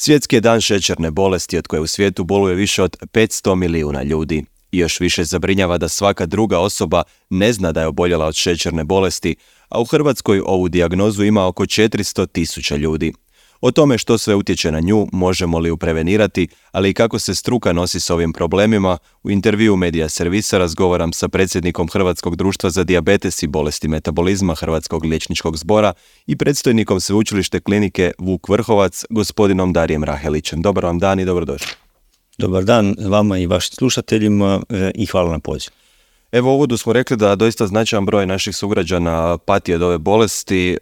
Svjetski je dan šećerne bolesti od koje u svijetu boluje više od 500 milijuna ljudi. I još više zabrinjava da svaka druga osoba ne zna da je oboljela od šećerne bolesti, a u Hrvatskoj ovu dijagnozu ima oko 400.000 ljudi. O tome što sve utječe na nju, možemo li ju prevenirati, ali i kako se struka nosi s ovim problemima, u intervjuu Medija Servisa razgovaram sa predsjednikom Hrvatskog društva za dijabetes i bolesti metabolizma Hrvatskog liječničkog zbora i predstojnikom Sveučilište klinike Vuk Vrhovac, gospodinom Darijem Rahelićem. Dobar vam dan i dobrodošli. Dobar dan vama i vašim slušateljima i hvala na pozivu. Evo u uvodu smo rekli da doista značajan broj naših sugrađana pati od ove bolesti,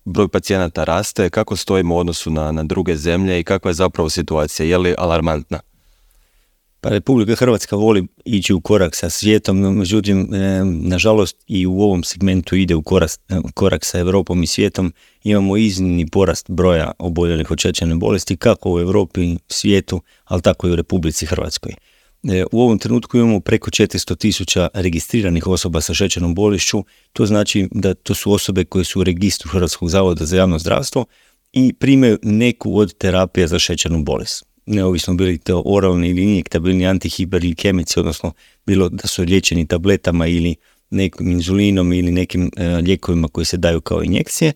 broj pacijenata raste. Kako stojimo u odnosu na druge zemlje i kakva je zapravo situacija? Je li alarmantna? Pa Republika Hrvatska voli ići u korak sa svijetom, međutim, nažalost i u ovom segmentu ide u korak sa Europom i svijetom. Imamo iznimni porast broja oboljelih od šećerne bolesti kako u Europi, svijetu, ali tako i u Republici Hrvatskoj. U ovom trenutku imamo preko 400.000 registriranih osoba sa šećernom bolešću. To znači da to su osobe koje su u registru Hrvatskog zavoda za javno zdravstvo i primaju neku od terapija za šećernu bolest. Neovisno bili to oralni ili injektabilni antihiperglikemici, odnosno bilo da su liječeni tabletama ili nekim inzulinom ili nekim lijekovima koji se daju kao injekcije.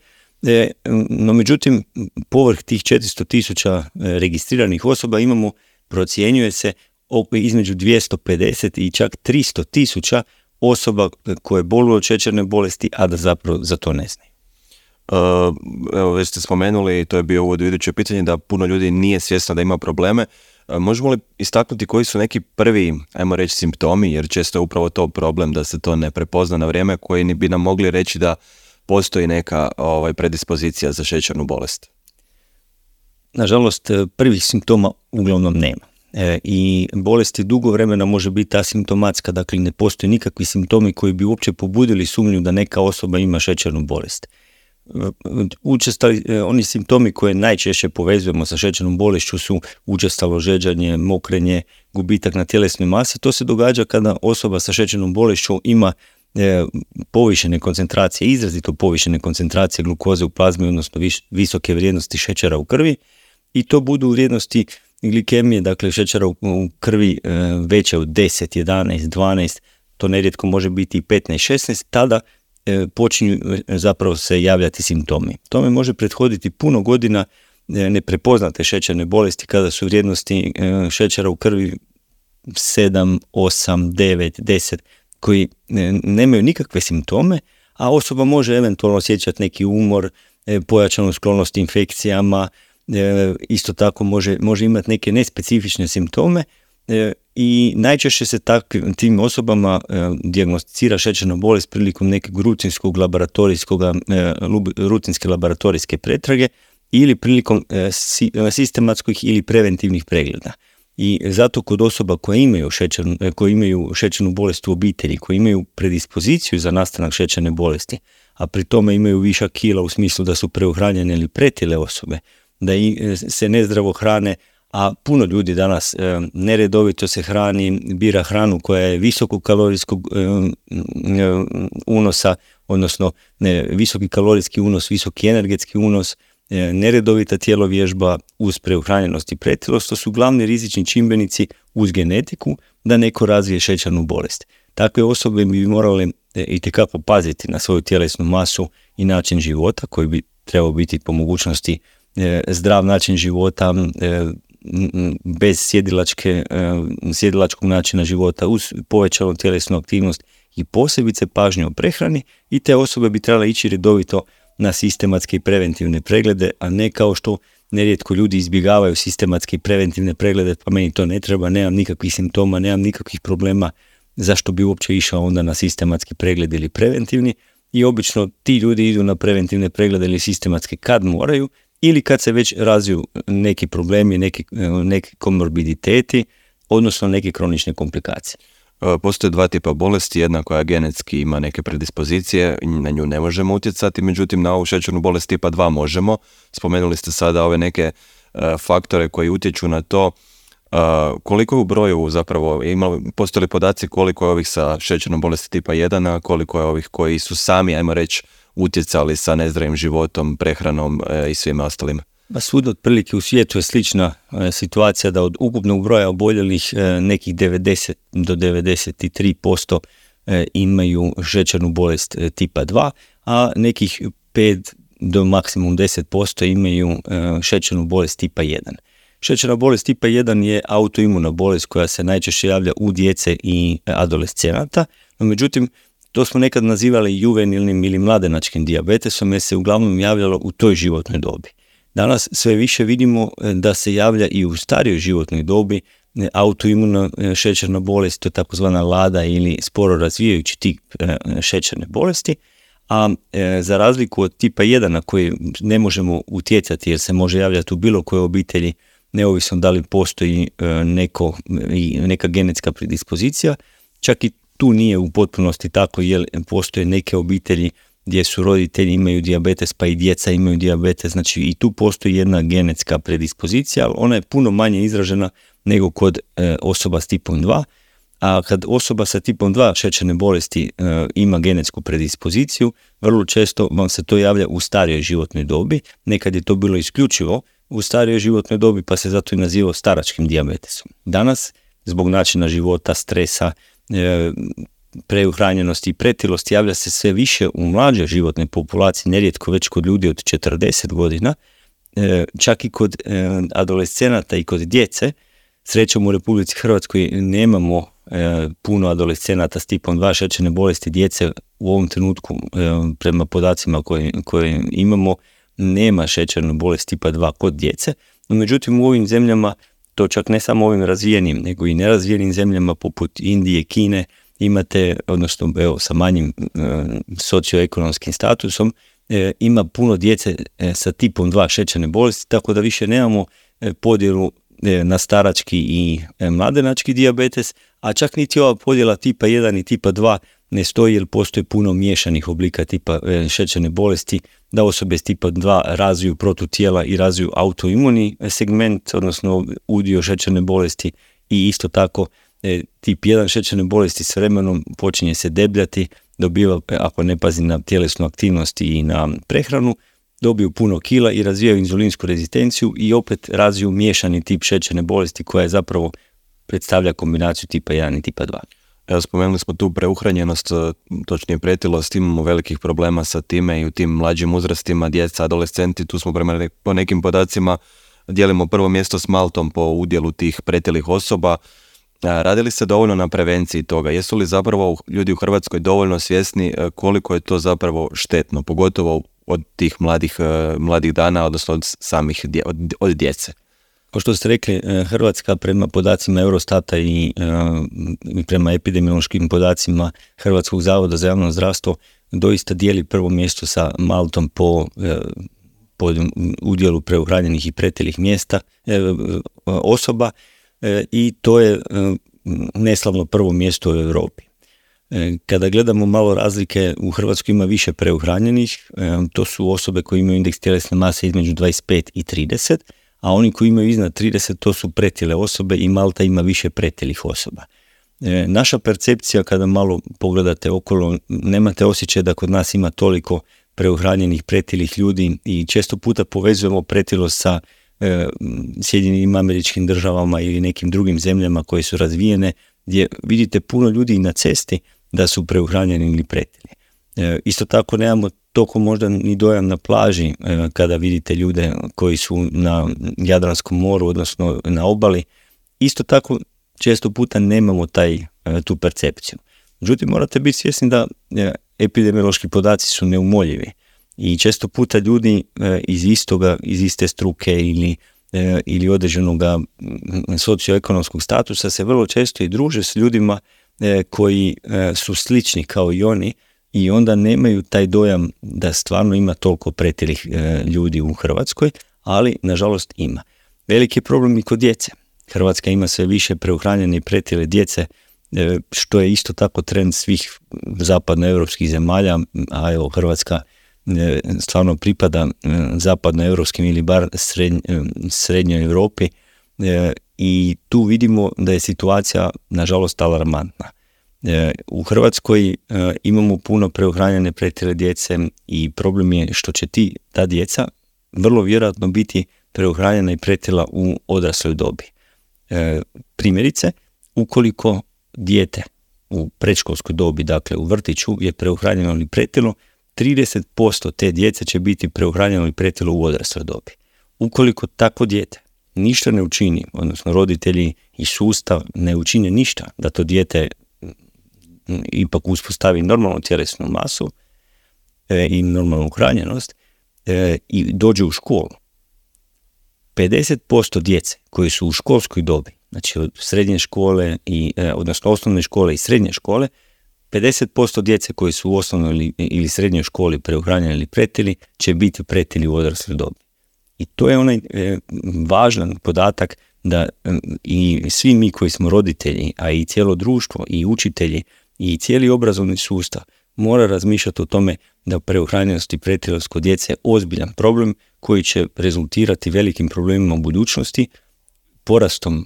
No međutim, povrh tih 400.000 registriranih osoba imamo, procjenjuje se, između 250 i čak 300.000 osoba koje boluju od šećerne bolesti, a da zapravo za to ne znaju. Evo, već ste spomenuli, to je bio uvod u iduće pitanje, da puno ljudi nije svjesno da ima probleme. Možemo li istaknuti koji su neki prvi, ajmo reći, simptomi, jer često je upravo to problem da se to ne prepozna na vrijeme, koji bi nam mogli reći da postoji neka predispozicija za šećernu bolest? Nažalost, prvih simptoma uglavnom nema. I bolest je dugo vremena može biti asimptomatska, dakle ne postoje nikakvi simptomi koji bi uopće pobudili sumnju da neka osoba ima šećernu bolest. Oni simptomi koje najčešće povezujemo sa šećernom bolešću su učestalo žeđanje, mokrenje, gubitak na tjelesnoj masi. To se događa kada osoba sa šećernom bolešću ima povišene koncentracije, izrazito povišene koncentracije glukoze u plazmi, odnosno visoke vrijednosti šećera u krvi, i to budu vrijednosti glikemije, dakle šećera u krvi veće od 10, 11, 12, to nerijetko može biti i 15, 16, tada počinju zapravo se javljati simptomi. Tome može prethoditi puno godina neprepoznate šećerne bolesti kada su vrijednosti šećera u krvi 7, 8, 9, 10, koji nemaju nikakve simptome, a osoba može eventualno osjećati neki umor, pojačanu sklonost infekcijama, isto tako može imati neke nespecifične simptome i najčešće se tim osobama dijagnosticira šećerna bolest prilikom nekog rutinske laboratorijske pretrage ili prilikom sistematskih ili preventivnih pregleda. I zato kod osoba koje imaju šećernu bolest u obitelji, koje imaju predispoziciju za nastanak šećerne bolesti, a pri tome imaju višak kila u smislu da su preuhranjene ili pretile osobe, da se nezdravo hrane, a puno ljudi danas neredovito se hrani, bira hranu koja je visokog kalorijskog unosa, odnosno visoki kalorijski unos, visoki energetski unos, neredovita tjelovježba uz preuhranjenost i pretilost, to su glavni rizični čimbenici uz genetiku da neko razvije šećernu bolest. Takve osobe bi morale itekako paziti na svoju tjelesnu masu i način života koji bi trebao biti po mogućnosti zdrav način života, bez sjedilačkog načina života, uz povećanu tjelesnu aktivnost i posebice pažnju o prehrani, i te osobe bi trebale ići redovito na sistematske i preventivne preglede, a ne kao što nerijetko ljudi izbjegavaju sistematske i preventivne preglede, pa meni to ne treba, nemam nikakvih simptoma, nemam nikakvih problema, zašto bi uopće išao onda na sistematski pregled ili preventivni, i obično ti ljudi idu na preventivne preglede ili sistematske kad moraju, ili kad se već razviju neki problemi, neki komorbiditeti, odnosno neke kronične komplikacije. Postoje dva tipa bolesti, jedna koja genetski ima neke predispozicije, na nju ne možemo utjecati, međutim na ovu šećernu bolest tipa 2 možemo. Spomenuli ste sada ove neke faktore koji utječu na to. Koliko u broju zapravo, postoje li podaci koliko je ovih sa šećernom bolesti tipa 1, a koliko je ovih koji su sami, ajmo reći, utjecali sa nezdravim životom, prehranom i svima ostalima? Svud otprilike u svijetu je slična situacija da od ukupnog broja oboljelih nekih 90 do 93% imaju šećernu bolest tipa 2, a nekih 5 do maksimum 10% imaju šećernu bolest tipa 1. Šećerna bolest tipa 1 je autoimuna bolest koja se najčešće javlja u djece i adolescenata, no međutim to smo nekad nazivali juvenilnim ili mladenačkim dijabetesom jer se uglavnom javljalo u toj životnoj dobi. Danas sve više vidimo da se javlja i u starijoj životnoj dobi autoimuna šećerna bolest, to je takozvana LADA ili sporo razvijajući tip šećerne bolesti, a za razliku od tipa 1 na koji ne možemo utjecati jer se može javljati u bilo kojoj obitelji, neovisno da li postoji neka genetska predispozicija, čak i tu nije u potpunosti tako jer postoje neke obitelji gdje su roditelji imaju dijabetes pa i djeca imaju dijabetes, znači i tu postoji jedna genetska predispozicija, ali ona je puno manje izražena nego kod osoba s tipom 2, a kad osoba sa tipom 2 šećerne bolesti ima genetsku predispoziciju, vrlo često vam se to javlja u starijoj životnoj dobi, nekad je to bilo isključivo u starijoj životnoj dobi pa se zato i nazivao staračkim dijabetesom. Danas, zbog načina života, stresa, preuhranjenosti i pretilosti javlja se sve više u mlađoj životnoj populaciji, nerijetko već kod ljudi od 40 godina, čak i kod adolescenata i kod djece. Srećom u Republici Hrvatskoj nemamo puno adolescenata s tipom 2 šećerne bolesti, djece u ovom trenutku prema podacima koje imamo nema šećernu bolest tipa 2 kod djece, no međutim u ovim zemljama, to čak ne samo ovim razvijenim, nego i nerazvijenim zemljama poput Indije, Kine, imate, odnosno sa manjim socioekonomskim statusom, ima puno djece sa tipom 2 šećerne bolesti, tako da više nemamo podjelu na starački i mladenački dijabetes, a čak niti ova podjela tipa 1 i tipa 2 ne stoji jer postoji puno miješanih oblika tipa šećerne bolesti, da osobe s tipa 2 razviju protutijela i razviju autoimuni segment, odnosno udio šećerne bolesti, i isto tako tip 1 šećerne bolesti s vremenom počinje se debljati, dobiva, ako ne pazi na tjelesnu aktivnost i na prehranu, dobiju puno kila i razvijaju inzulinsku rezistenciju i opet razviju miješani tip šećerne bolesti koja je zapravo predstavlja kombinaciju tipa 1 i tipa 2. Evo, spomenuli smo tu preuhranjenost, točnije pretilost, imamo velikih problema sa time i u tim mlađim uzrastima, djeca, adolescenti, tu smo po nekim podacima dijelimo prvo mjesto s Maltom po udjelu tih pretilih osoba. Radi li se dovoljno na prevenciji toga? Jesu li zapravo ljudi u Hrvatskoj dovoljno svjesni koliko je to zapravo štetno, pogotovo od tih mladih dana, odnosno od djece? Kao što ste rekli, Hrvatska prema podacima Eurostata i prema epidemiološkim podacima Hrvatskog zavoda za javno zdravstvo doista dijeli prvo mjesto sa Maltom po udjelu preuhranjenih i pretilih osoba i to je neslavno prvo mjesto u Europi. Kada gledamo malo razlike, u Hrvatskoj ima više preuhranjenih, to su osobe koje imaju indeks tjelesne mase između 25 i 30, a oni koji imaju iznad 30 to su pretile osobe i Malta ima više pretilih osoba. Naša percepcija kada malo pogledate okolo, nemate osjećaj da kod nas ima toliko preuhranjenih pretilih ljudi i često puta povezujemo pretilost sa Sjedinjenim Američkim Državama ili nekim drugim zemljama koje su razvijene, gdje vidite puno ljudi na cesti da su preuhranjeni ili pretili. Isto tako nemamo toliko možda ni dojam na plaži kada vidite ljude koji su na Jadranskom moru, odnosno na obali. Isto tako često puta nemamo tu percepciju. Međutim, morate biti svjesni da epidemiološki podaci su neumoljivi i često puta ljudi iz iste struke ili određenog socioekonomskog statusa se vrlo često i druže s ljudima koji su slični kao i oni i onda nemaju taj dojam da stvarno ima toliko pretilih ljudi u Hrvatskoj, ali nažalost ima. Veliki problem i kod djece. Hrvatska ima sve više preuhranjene i pretile djece, što je isto tako trend svih zapadnoevropskih zemalja, a evo Hrvatska stvarno pripada zapadnoevropskim ili bar srednjoj Europi i tu vidimo da je situacija nažalost alarmantna. U Hrvatskoj imamo puno preuhranjene pretile djece i problem je što će ta djeca vrlo vjerojatno biti preuhranjena i pretila u odrasloj dobi. Primjerice, ukoliko dijete u predškolskoj dobi, dakle u vrtiću, je preuhranjeno ili pretilo, 30% te djece će biti preuhranjeno ili pretilo u odrasloj dobi. Ukoliko takvo dijete ništa ne učini, odnosno roditelji i sustav ne učine ništa da to dijete ipak uspostavi normalnu tjelesnu masu i normalnu uhranjenost i dođe u školu, 50% djece koji su u školskoj dobi, znači od srednje škole odnosno osnovne škole i srednje škole, 50% djece koji su u osnovnoj ili srednjoj školi preuhranjeni ili pretili će biti pretili u odrasloj dobi. I to je onaj važan podatak da i svi mi koji smo roditelji, a i cijelo društvo i učitelji i cijeli obrazovni sustav mora razmišljati o tome da preuhranjenost i pretilost kod djece je ozbiljan problem koji će rezultirati velikim problemima u budućnosti, porastom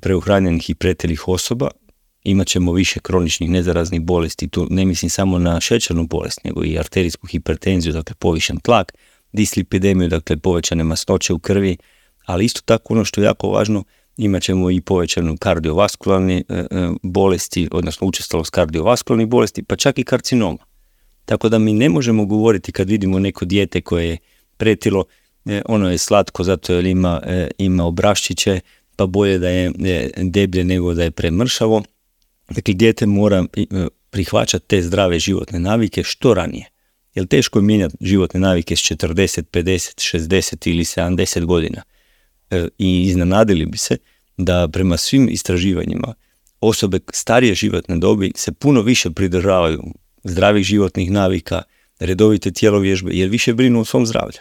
preuhranjenih i pretilih osoba, imat ćemo više kroničnih nezaraznih bolesti, tu ne mislim samo na šećernu bolest, nego i arterijsku hipertenziju, dakle povišen tlak, dislipidemiju, dakle povećane masnoće u krvi, ali isto tako ono što je jako važno, imat ćemo i povećanu kardiovaskularne bolesti, odnosno učestalost kardiovaskularnih bolesti, pa čak i karcinoma. Tako da mi ne možemo govoriti kad vidimo neko dijete koje je pretilo, ono je slatko zato jer ima obraščiće, pa bolje da je deblje nego da je premršavo. Dakle, dijete mora prihvaćati te zdrave životne navike što ranije. Jer teško je mijenjati životne navike s 40, 50, 60 ili 70 godina. I iznenadili bi se da prema svim istraživanjima osobe starije životne dobi se puno više pridržavaju zdravih životnih navika, redovite tjelovježbe, jer više brinu o svom zdravlju.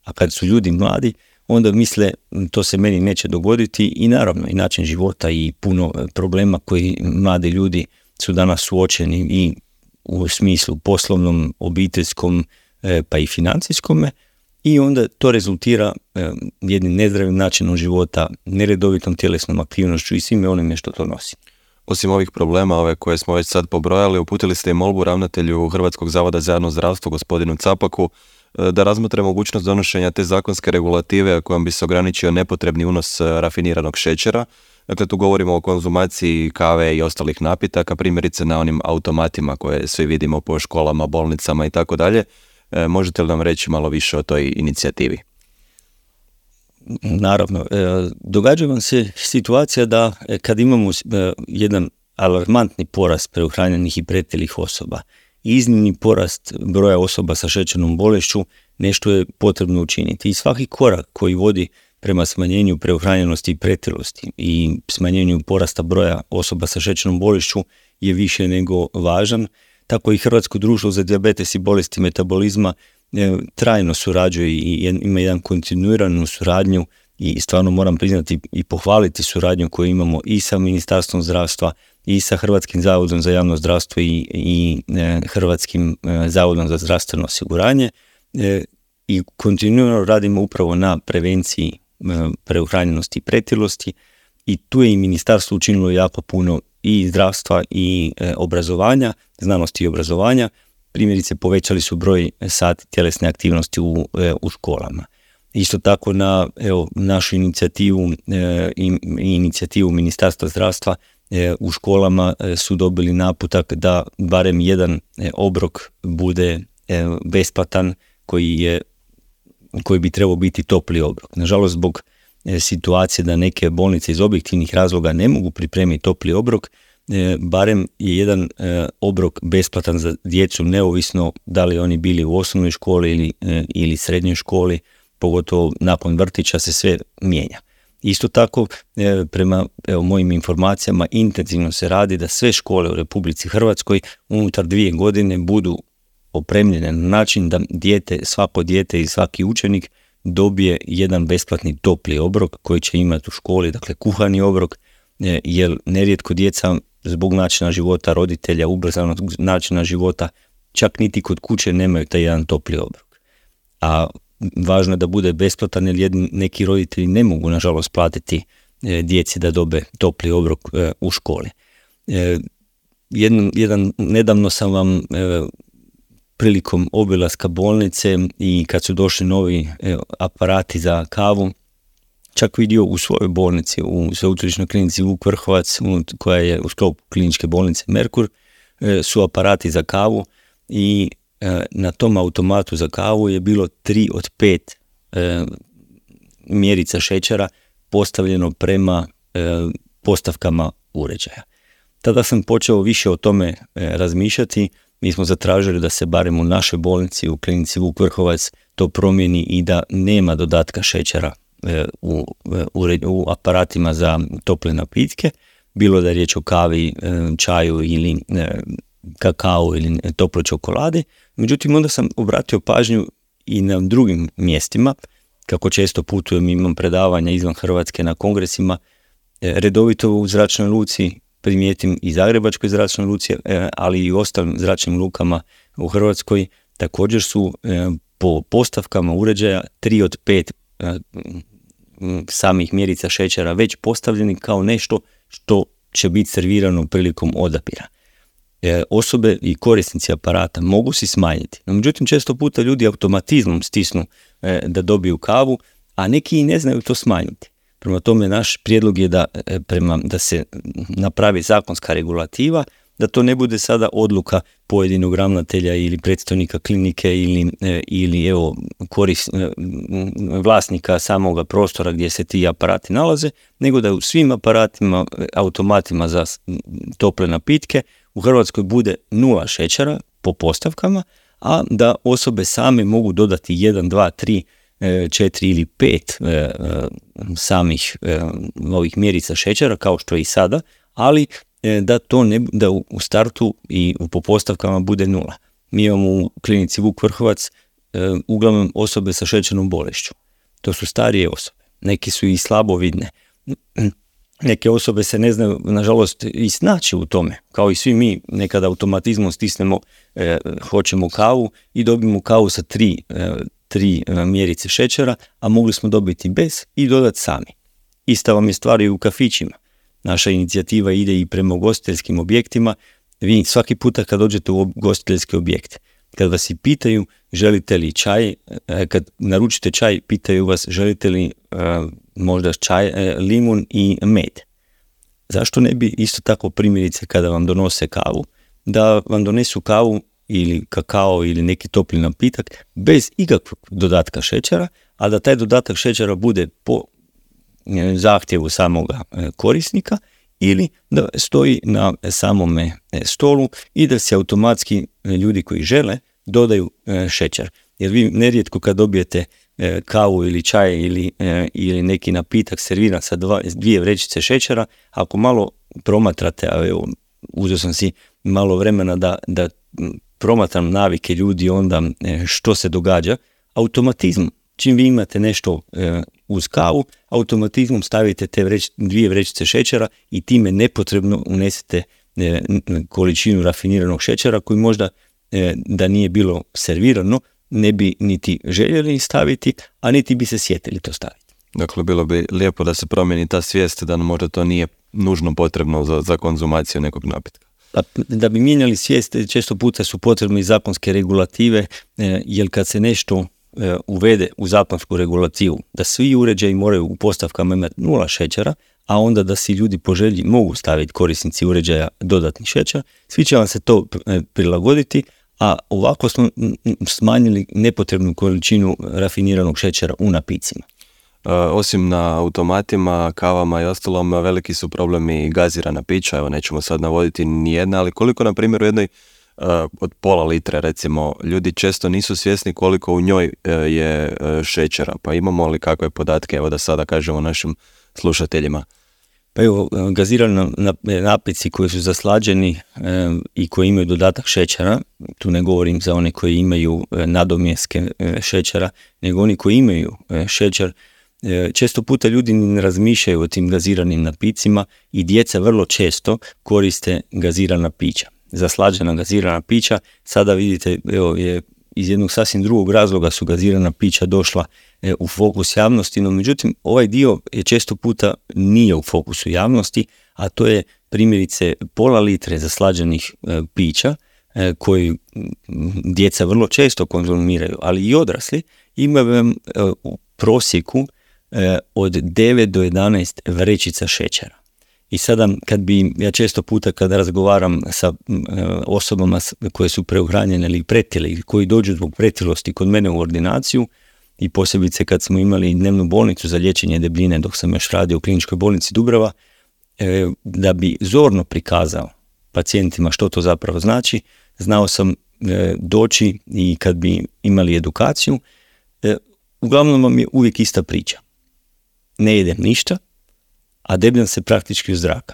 A kad su ljudi mladi, onda misle to se meni neće dogoditi i naravno i način života i puno problema koji mladi ljudi su danas suočeni i u smislu poslovnom, obiteljskom pa i financijskome i onda to rezultira jednim nezdravim načinom života, neredovitom tjelesnom aktivnošću i svime onime što to nosi. Osim ovih problema ove koje smo već sad pobrojali, uputili ste i molbu ravnatelju Hrvatskog zavoda za javno zdravstvo gospodinu Capaku da razmotre mogućnost donošenja te zakonske regulative kojom bi se ograničio nepotrebni unos rafiniranog šećera. Dakle, tu govorimo o konzumaciji kave i ostalih napitaka, primjerice na onim automatima koje svi vidimo po školama, bolnicama i tako dalje. Možete li nam reći malo više o toj inicijativi? Naravno, događa vam se situacija da kad imamo jedan alarmantni porast preuhranjenih i pretilih osoba, iznimni porast broja osoba sa šećernom bolešću, nešto je potrebno učiniti. I svaki korak koji vodi prema smanjenju preuhranjenosti i pretilosti i smanjenju porasta broja osoba sa šećernom bolešću je više nego važan. Tako i Hrvatsko društvo za dijabetes i bolesti metabolizma trajno surađuje i ima jedan kontinuiranu suradnju i stvarno moram priznati i pohvaliti suradnju koju imamo i sa Ministarstvom zdravstva i sa Hrvatskim zavodom za javno zdravstvo i Hrvatskim zavodom za zdravstveno osiguranje i kontinuirano radimo upravo na prevenciji preuhranjenosti i pretilosti i tu je i ministarstvo učinilo jako puno i zdravstva i obrazovanja, znanosti i obrazovanja. Primjerice povećali su broj sati tjelesne aktivnosti u školama. Isto tako na našu inicijativu i inicijativu Ministarstva zdravstva u školama su dobili naputak da barem jedan obrok bude besplatan koji bi trebao biti topli obrok. Nažalost, zbog situacije da neke bolnice iz objektivnih razloga ne mogu pripremiti topli obrok, barem je jedan obrok besplatan za djecu, neovisno da li oni bili u osnovnoj školi ili srednjoj školi, pogotovo nakon vrtića se sve mijenja. Isto tako, prema mojim informacijama, intenzivno se radi da sve škole u Republici Hrvatskoj unutar 2 godine budu opremljene na način da svako dijete i svaki učenik dobije jedan besplatni topli obrok koji će imati u školi, dakle kuhani obrok, jer nerijetko djeca zbog načina života roditelja, ubrzanog načina života, čak niti kod kuće nemaju taj jedan topli obrok. A važno je da bude besplatan jer neki roditelji ne mogu nažalost platiti djeci da dobe topli obrok u školi. Nedavno sam vam prilikom obilaska bolnice i kad su došli novi aparati za kavu, čak vidio u svojoj bolnici, u sveučilišnoj klinici Vuk Vrhovac, koja je u sklopu kliničke bolnice Merkur, su aparati za kavu i na tom automatu za kavu je bilo 3 od 5 mjerica šećera postavljeno prema postavkama uređaja. Tada sam počeo više o tome razmišljati. Mi smo zatražili da se barem u našoj bolnici, u klinici Vuk Vrhovac, to promijeni i da nema dodatka šećera u aparatima za tople napitke, bilo da je riječ o kavi, čaju ili kakao ili toploj čokoladi. Međutim, onda sam obratio pažnju i na drugim mjestima, kako često putujem, imam predavanja izvan Hrvatske na kongresima, redovito u zračnoj luci primijetim i Zagrebačkoj zračnoj luci, ali i u ostalim zračnim lukama u Hrvatskoj također su po postavkama uređaja 3 od 5 samih mjerica šećera već postavljeni kao nešto što će biti servirano prilikom odabira. Osobe i korisnici aparata mogu si smanjiti, no međutim često puta ljudi automatizmom stisnu da dobiju kavu, a neki i ne znaju to smanjiti. Prema tome naš prijedlog je da se napravi zakonska regulativa, da to ne bude sada odluka pojedinog ravnatelja ili predstojnika klinike ili vlasnika samoga prostora gdje se ti aparati nalaze, nego da u svim aparatima, automatima za tople napitke u Hrvatskoj bude 0 šećera po postavkama, a da osobe same mogu dodati 1, 2, 3, 4 ili 5 samih ovih mjerica šećera, kao što je i sada, ali da u startu i po postavkama bude 0. Mi imamo u klinici Vuk Vrhovac uglavnom osobe sa šećernom bolešću. To su starije osobe, neki su i slabovidne. Neke osobe se ne znaju, nažalost, i snaći u tome. Kao i svi mi, nekada automatizmom stisnemo, hoćemo kavu i dobijemo kavu sa 3 mjerice šećera, a mogli smo dobiti bez i dodati sami. Ista vam je stvar i u kafićima. Naša inicijativa ide i prema ugostiteljskim objektima. Vi svaki puta kad dođete u ugostiteljski objekt, kad vas i pitaju želite li čaj, kad naručite čaj, pitaju vas želite li možda čaj, limun i med. Zašto ne bi isto tako primjerice kada vam donose kavu, da vam donesu kavu ili kakao ili neki topli napitak bez ikakvog dodatka šećera, a da taj dodatak šećera bude po zahtjevu samoga korisnika ili da stoji na samome stolu i da se automatski ljudi koji žele dodaju šećer. Jer vi nerijetko kad dobijete kavu ili čaj ili neki napitak serviran sa 2 vrećice šećera, ako malo promatrate, a evo, uzeo sam si malo vremena da promatram navike ljudi onda što se događa, automatizmom. Čim vi imate nešto uz kavu, automatizmom stavite te 2 vrećice šećera i time nepotrebno unesete količinu rafiniranog šećera koji možda da nije bilo servirano ne bi niti željeli staviti, a niti bi se sjetili to staviti. Dakle, bilo bi lijepo da se promijeni ta svijest da možda to nije nužno potrebno za konzumaciju nekog napitka. Da bi mijenjali svijest, često puta su potrebne i zakonske regulative, jer kad se nešto uvede u zakonsku regulativu, da svi uređaji moraju u postavkama imati 0 šećera, a onda da si ljudi po želji mogu staviti korisnici uređaja dodatni šećer, svi će vam se to prilagoditi, a ovako smo smanjili nepotrebnu količinu rafiniranog šećera u napicima. Osim na automatima, kavama i ostalom, veliki su problemi gazirana pića, evo nećemo sad navoditi nijedna, ali koliko na primjer u jednoj od pola litre recimo, ljudi često nisu svjesni koliko u njoj je šećera, pa imamo li kakve podatke, evo da sada kažemo našim slušateljima. Pa evo, gazirani napici koji su zaslađeni i koji imaju dodatak šećera, tu ne govorim za one koji imaju nadomjeske šećera, nego oni koji imaju šećer, često puta ljudi ne razmišljaju o tim gaziranim napicima i djeca vrlo često koriste gazirana pića. Zaslađena gazirana pića, sada vidite, evo, je iz jednog sasvim drugog razloga su gazirana pića došla u fokus javnosti, no međutim ovaj dio je često puta nije u fokusu javnosti, a to je primjerice pola litre zaslađenih pića koji djeca vrlo često konzumiraju, ali i odrasli, imaju u prosjeku od 9 do 11 vrećica šećera. I sada ja često puta kada razgovaram sa osobama koje su preuhranjene ili pretile ili koji dođu zbog pretilosti kod mene u ordinaciju, i posebice kad smo imali dnevnu bolnicu za liječenje debljine dok sam još radio u kliničkoj bolnici Dubrava, da bi zorno prikazao pacijentima što to zapravo znači, znao sam doći i kad bi imali edukaciju, uglavnom vam je uvijek ista priča. Ne jedem ništa, a debljam se praktički u zraka.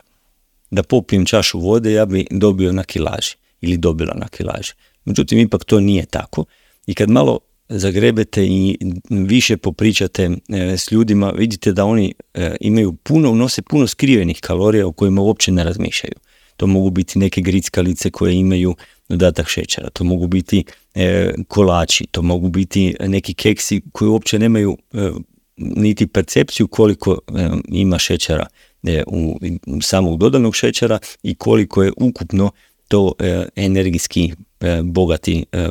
Da popijem čašu vode, ja bi dobio na kilaži ili dobila na kilaži. Međutim, ipak to nije tako. I kad malo zagrebete i više popričate s ljudima, vidite da oni nose puno skrivenih kalorija o kojima uopće ne razmišljaju. To mogu biti neke grickalice koje imaju dodatak šećera, to mogu biti kolači, to mogu biti neki keksi koji uopće nemaju niti percepciju koliko ima šećera u samog dodanog šećera i koliko je ukupno to energijski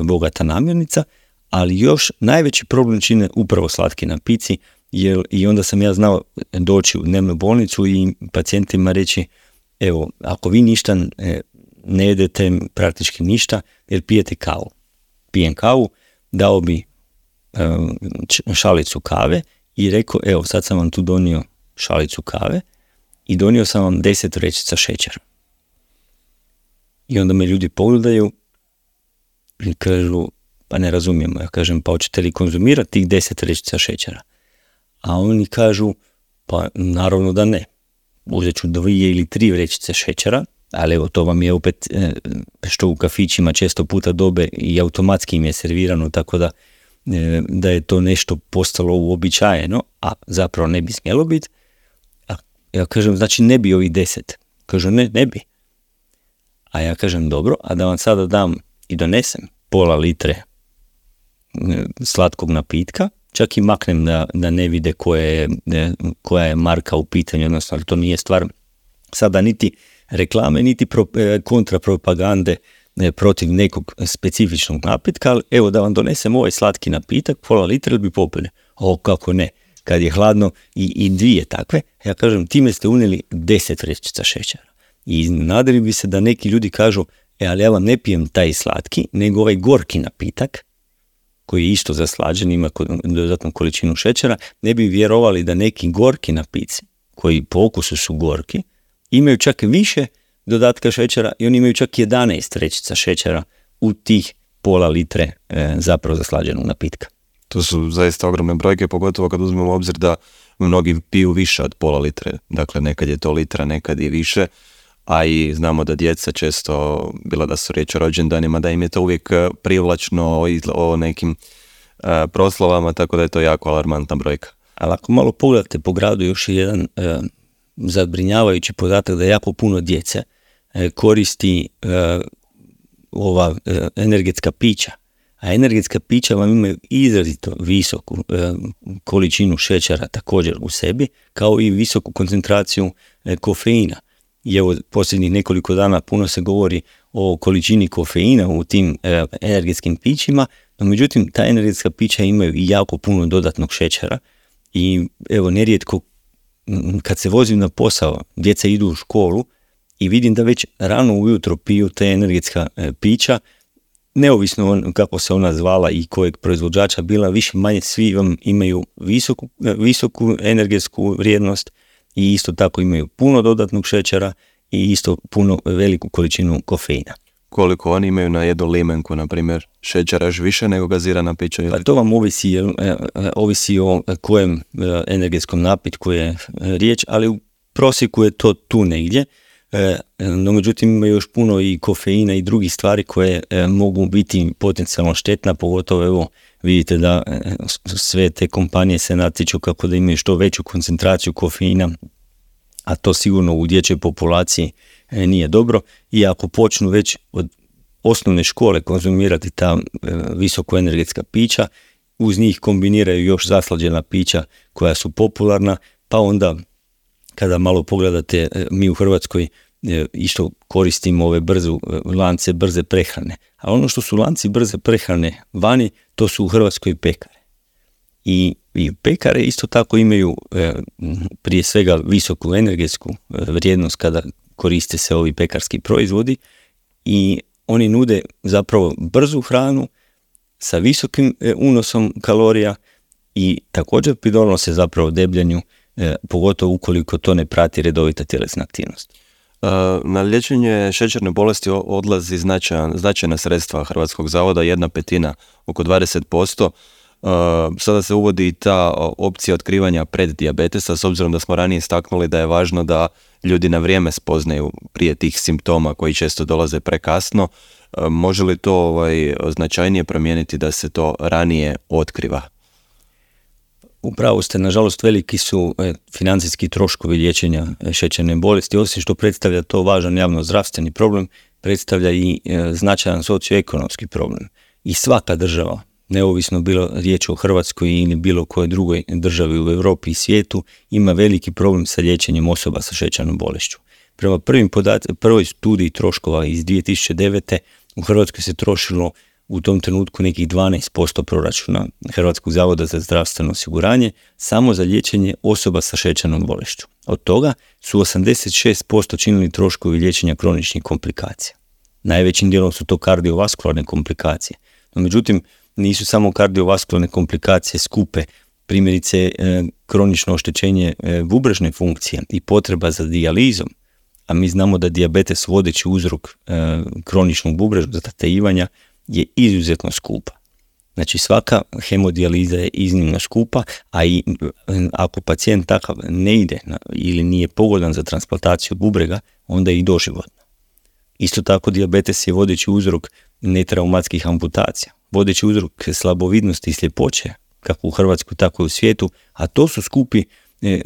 bogata namirnica, ali još najveći problem čine upravo slatki napici, i onda sam ja znao doći u dnevnu bolnicu i pacijentima reći, evo, ako vi ništa ne jedete, praktički ništa, jer pijete kavu. Pijem kavu, dao bi šalicu kave i rekao, evo, sad sam vam tu donio šalicu kave i donio sam vam 10 vrećica šećera. I onda me ljudi pogledaju i kažu, pa ne razumijemo. Ja kažem, pa hoćete li konzumirati tih 10 vrećica šećera? A oni kažu, pa naravno da ne. Uzet ću 2 ili 3 vrećice šećera, ali evo, to vam je opet što u kafićima često puta dobe i automatski im je servirano, tako da je to nešto postalo uobičajeno, a zapravo ne bi smjelo biti. A ja kažem, znači ne bi ovih 10. Kažu, ne bi. A ja kažem, dobro, a da vam sada dam i donesem pola litre slatkog napitka, čak i maknem da ne vide koja je marka u pitanju, odnosno to nije stvar sada niti reklame, niti kontrapropagande protiv nekog specifičnog napitka, ali evo da vam donesem ovaj slatki napitak, pola litra, ili bi popili? O, kako ne, kad je hladno i 2 takve, ja kažem, time ste unijeli 10 vrećica šećera. I nadali bi se da neki ljudi kažu, ali ja vam ne pijem taj slatki, nego ovaj gorki napitak, koji je isto zaslađen, ima dodatnu količinu šećera, ne bi vjerovali da neki gorki napici, koji po okusu su gorki, imaju čak više dodatka šećera i oni imaju čak 11 vrećica šećera u tih pola litre zapravo zaslađenog napitka. To su zaista ogromne brojke, pogotovo kad uzmemo u obzir da mnogi piju više od pola litre. Dakle, nekad je to litra, nekad i više, a i znamo da djeca često, bila da su riječ o rođendanima, da im je to uvijek privlačno o nekim proslavama, tako da je to jako alarmantna brojka. Ali ako malo pogledate po gradu, još je jedan zabrinjavajući podatak da jako puno djece koristi ova energetska pića. A energetska pića vam imaju izrazito visoku količinu šećera također u sebi, kao i visoku koncentraciju kofeina. I evo, posljednjih nekoliko dana puno se govori o količini kofeina u tim energetskim pićima, no međutim, ta energetska pića imaju i jako puno dodatnog šećera. I evo, nerijetko kad se vozim na posao, djeca idu u školu i vidim da već rano ujutro piju te energetska pića, neovisno kako se ona zvala i kojeg proizvođača bila, više manje svi vam imaju visoku energetsku vrijednost i isto tako imaju puno dodatnog šećera i isto puno veliku količinu kofeina. Koliko oni imaju na jednu limenku, na primjer, šećera još više nego gazirana pića? Pa to vam ovisi o kojem energetskom napitku je riječ, ali u prosjeku je to tu negdje. No međutim ima još puno i kofeina i drugih stvari koje mogu biti potencijalno štetna, pogotovo evo vidite da sve te kompanije se natječu kako da imaju što veću koncentraciju kofeina, a to sigurno u dječjoj populaciji nije dobro. I ako počnu već od osnovne škole konzumirati ta visoko energetska pića, uz njih kombiniraju još zaslađena pića koja su popularna, pa onda kada malo pogledate, mi u Hrvatskoj isto koristimo ove lance brze prehrane. A ono što su lanci brze prehrane vani, to su u Hrvatskoj pekare. I pekare isto tako imaju prije svega visoku energetsku vrijednost kada koriste se ovi pekarski proizvodi i oni nude zapravo brzu hranu sa visokim unosom kalorija i također pridonose zapravo debljanju, pogotovo ukoliko to ne prati redovita tjelesna aktivnost. Na liječenje šećerne bolesti odlazi značajna sredstva Hrvatskog zavoda, 1/5, oko 20%. Sada se uvodi i ta opcija otkrivanja preddijabetesa, s obzirom da smo ranije istaknuli da je važno da ljudi na vrijeme spoznaju prije tih simptoma koji često dolaze prekasno. Može li to značajnije promijeniti da se to ranije otkriva? Upravo ste, nažalost, veliki su financijski troškovi liječenja šećerne bolesti. Osim što predstavlja to važan javno-zdravstveni problem, predstavlja i značajan socioekonomski problem. I svaka država, neovisno bilo riječ o Hrvatskoj ili bilo kojoj drugoj državi u Europi i svijetu, ima veliki problem sa liječenjem osoba sa šećernom bolešću. Prema prvoj studiji troškova iz 2009. u Hrvatskoj se trošilo u tom trenutku nekih 12% proračuna Hrvatskog zavoda za zdravstveno osiguranje samo za liječenje osoba sa šećernom bolešću. Od toga su 86% činili troškovi liječenja kroničnih komplikacija. Najvećim dijelom su to kardiovaskularne komplikacije. No, međutim, nisu samo kardiovaskularne komplikacije skupe, primjerice kronično oštećenje bubrežne funkcije i potreba za dijalizom, a mi znamo da dijabetes vodeći uzrok kroničnog bubrežnog zatajivanja je izuzetno skupa. Znači svaka hemodijaliza je iznimno skupa, a i ako pacijent takav ne ide ili nije pogodan za transplantaciju bubrega, onda je i doživotno. Isto tako dijabetes je vodeći uzrok netraumatskih amputacija, vodeći uzrok slabovidnosti i sljepoće, kako u Hrvatskoj, tako i u svijetu, a to su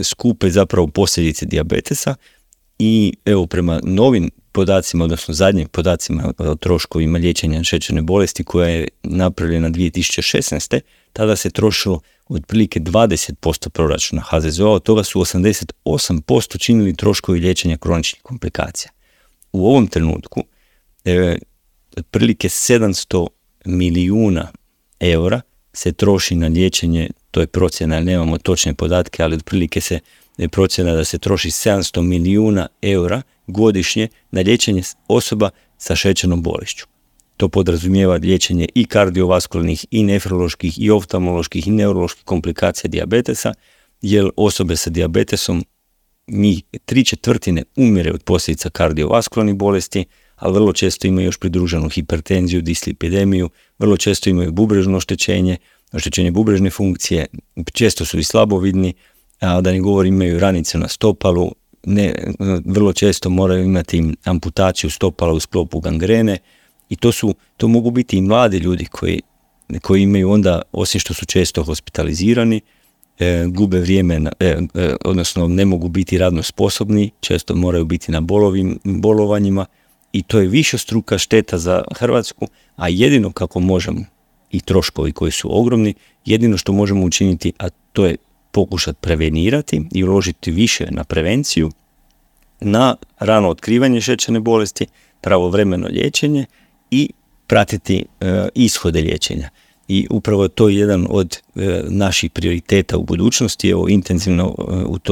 skupe zapravo posljedice dijabetesa. I evo, prema novim podacima, odnosno zadnjim podacima o troškovima liječenja šećerne bolesti koja je napravljena 2016. tada se trošilo otprilike 20% proračuna HZZO-a, od toga su 88% činili troškovi liječenja kroničnih komplikacija. U ovom trenutku otprilike 700 milijuna eura se troši na liječenje, to je procjena, nemamo točne podatke, ali otprilike se procjena da se troši 700 milijuna eura godišnje na liječenje osoba sa šećernom bolešću. To podrazumijeva liječenje i kardiovaskularnih, i nefroloških, i oftalmoloških, i neuroloških komplikacija dijabetesa, jer osobe sa dijabetesom, njih 3/4 umire od posljedica kardiovaskularnih bolesti, ali vrlo često imaju još pridruženu hipertenziju, dislipidemiju, vrlo često imaju bubrežno oštećenje bubrežne funkcije, često su i slabovidni, a da ne govorim imaju ranice na stopalu, vrlo često moraju imati amputaciju stopala u sklopu gangrene i to mogu biti i mladi ljudi koji imaju onda, osim što su često hospitalizirani, gube vrijeme, odnosno ne mogu biti radno sposobni, često moraju biti na bolovanjima i to je višestruka šteta za Hrvatsku, a jedino kako možemo, i troškovi koji su ogromni, jedino što možemo učiniti, a to je pokušati prevenirati i uložiti više na prevenciju, na rano otkrivanje šećerne bolesti, pravovremeno liječenje i pratiti ishode liječenja. I upravo to je jedan od naših prioriteta u budućnosti. Evo, intenzivno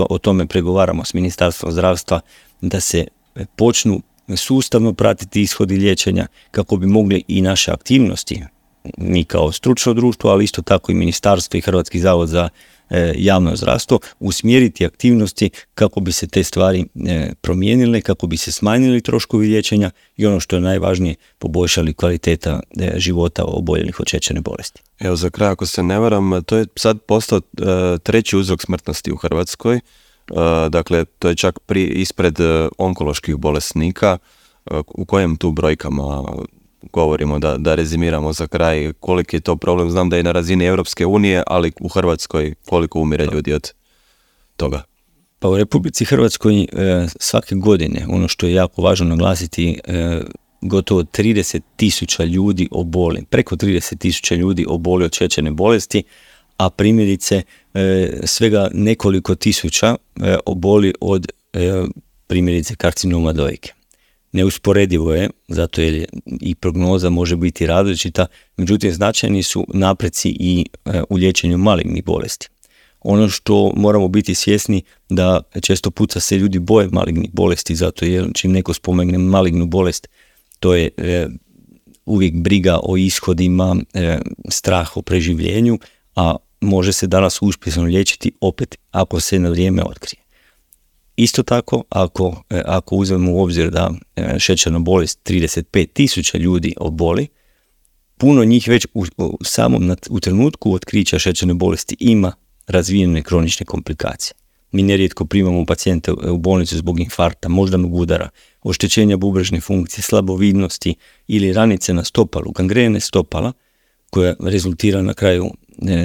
o tome pregovaramo s Ministarstvom zdravstva da se počnu sustavno pratiti ishodi liječenja kako bi mogli i naše aktivnosti, mi kao stručno društvo, ali isto tako i Ministarstvo i Hrvatski zavod za javno zdravstvo, usmjeriti aktivnosti kako bi se te stvari promijenile, kako bi se smanjili troškovi liječenja i ono što je najvažnije, poboljšali kvaliteta života oboljelih od šećerne bolesti. Evo, za kraj, ako se ne varam, to je sad postao treći uzrok smrtnosti u Hrvatskoj. Dakle, to je čak ispred onkoloških bolesnika. U kojem tu brojkama govorimo, da rezimiramo za kraj koliki je to problem? Znam da je na razini Europske unije, ali u Hrvatskoj koliko umire ljudi od toga? Pa u Republici Hrvatskoj svake godine, ono što je jako važno naglasiti, gotovo 30.000 ljudi oboli, preko 30.000 ljudi oboli od šećerne bolesti, a primjerice svega nekoliko tisuća oboli od primjerice karcinoma dojke. Neusporedivo je, zato jer i prognoza može biti različita, međutim značajni su napreci i u liječenju malignih bolesti. Ono što moramo biti svjesni da često puta se ljudi boje malignih bolesti, zato jer čim neko spomegne malignu bolest, to je uvijek briga o ishodima, strah o preživljenju, a može se danas uspješno liječiti opet ako se na vrijeme otkrije. Isto tako, ako uzmemo u obzir da šećerna bolest 35.000 ljudi oboli, puno njih već u trenutku otkrića šećerne bolesti ima razvijene kronične komplikacije. Mi nerijetko primamo pacijente u bolnicu zbog infarkta, moždanog udara, oštećenja bubrežne funkcije, slabovidnosti ili ranice na stopalu, gangrene stopala, koja rezultira na kraju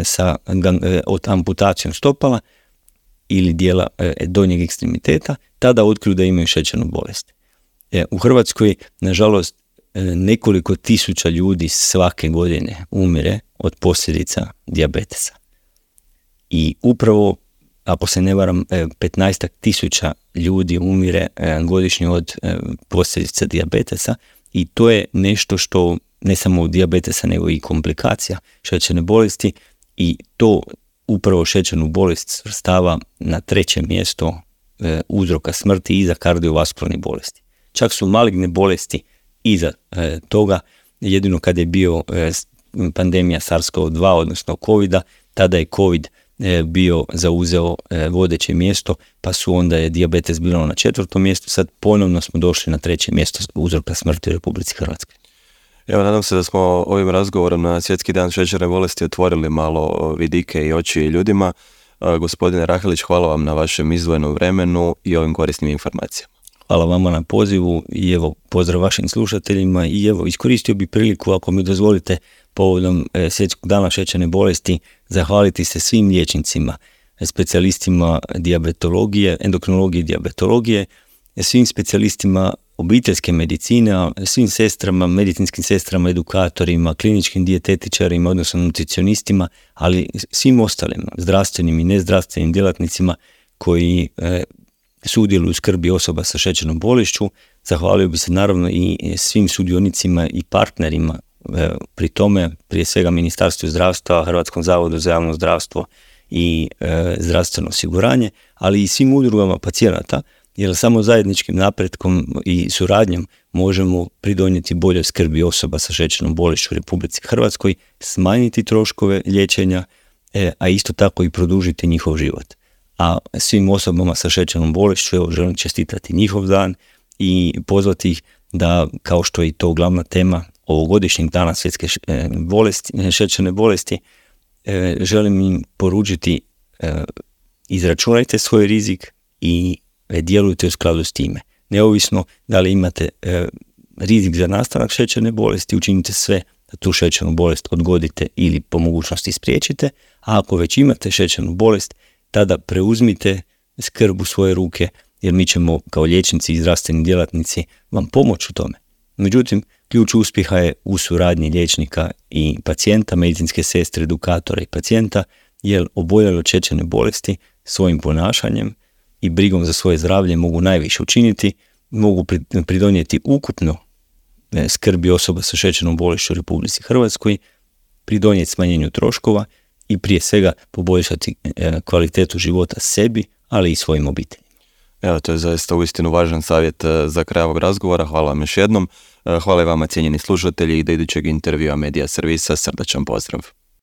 sa amputacijom stopala ili dijela donjeg ekstremiteta, tada otkriju da imaju šećernu bolest. U Hrvatskoj, nažalost, nekoliko tisuća ljudi svake godine umire od posljedica dijabetesa. I upravo, ako se ne varam, 15.000 ljudi umire godišnje od posljedica dijabetesa i to je nešto što ne samo od dijabetesa nego i komplikacija šećerne bolesti i to upravo šećernu bolest svrstava na 3. mjesto uzroka smrti iza kardiovaskularnih bolesti. Čak su maligne bolesti iza toga, jedino kad je bio pandemija SARS-CoV-2, odnosno COVID-a, tada je COVID bio zauzeo vodeće mjesto, pa su onda je dijabetes bilo na 4. mjestu, sad ponovno smo došli na 3. mjesto uzroka smrti u Republici Hrvatskoj. Evo, nadam se da smo ovim razgovorom na Svjetski dan šećerne bolesti otvorili malo vidike i oči ljudima. Gospodine Rahelić, hvala vam na vašem izdvojenom vremenu i ovim korisnim informacijama. Hvala vama na pozivu i evo, pozdrav vašim slušateljima i evo, iskoristio bi priliku, ako mi dozvolite, povodom Svjetskog dana šećerne bolesti, zahvaliti se svim liječnicima, specijalistima dijabetologije, endokrinologije i dijabetologije, svim specijalistima obiteljske medicine, svim sestrama, medicinskim sestrama, edukatorima, kliničkim dijetetičarima, odnosno nutricionistima, ali svim ostalim zdravstvenim i nezdravstvenim djelatnicima koji sudjeluju u skrbi osoba sa šećernom bolešću. Zahvalio bi se naravno i svim sudionicima i partnerima pri tome, prije svega Ministarstvu zdravstva, Hrvatskom zavodu za javno zdravstvo i zdravstveno osiguranje, ali i svim udrugama pacijenata, jer samo zajedničkim napretkom i suradnjom možemo pridonijeti boljoj skrbi osoba sa šećernom bolešću u Republici Hrvatskoj, smanjiti troškove liječenja, a isto tako i produžiti njihov život. A svim osobama sa šećernom bolešću evo, želim čestitati njihov dan i pozvati ih da, kao što je i to glavna tema ovogodišnjeg dana svjetske šećerne bolesti, želim im poručiti izračunajte svoj rizik i djelujte u skladu s time. Neovisno da li imate rizik za nastanak šećerne bolesti, učinite sve da tu šećernu bolest odgodite ili po mogućnosti spriječite, a ako već imate šećernu bolest, tada preuzmite skrb u svoje ruke, jer mi ćemo kao liječnici i zdravstveni djelatnici vam pomoći u tome. Međutim, ključ uspjeha je u suradnji liječnika i pacijenta, medicinske sestre, edukatora i pacijenta, jer oboljeli od šećerne bolesti svojim ponašanjem i brigom za svoje zdravlje mogu najviše učiniti, mogu pridonijeti ukupno skrbi osoba sa šećernom bolešću u Republici Hrvatskoj, pridonijeti smanjenju troškova i prije svega poboljšati kvalitetu života sebi, ali i svojim obiteljima. Evo, to je zaista uistinu važan savjet za kraj ovog razgovora. Hvala vam još jednom. Hvala i vama, cijenjeni slušatelji, i do idućeg intervjua Medija servisa. Srdačan pozdrav.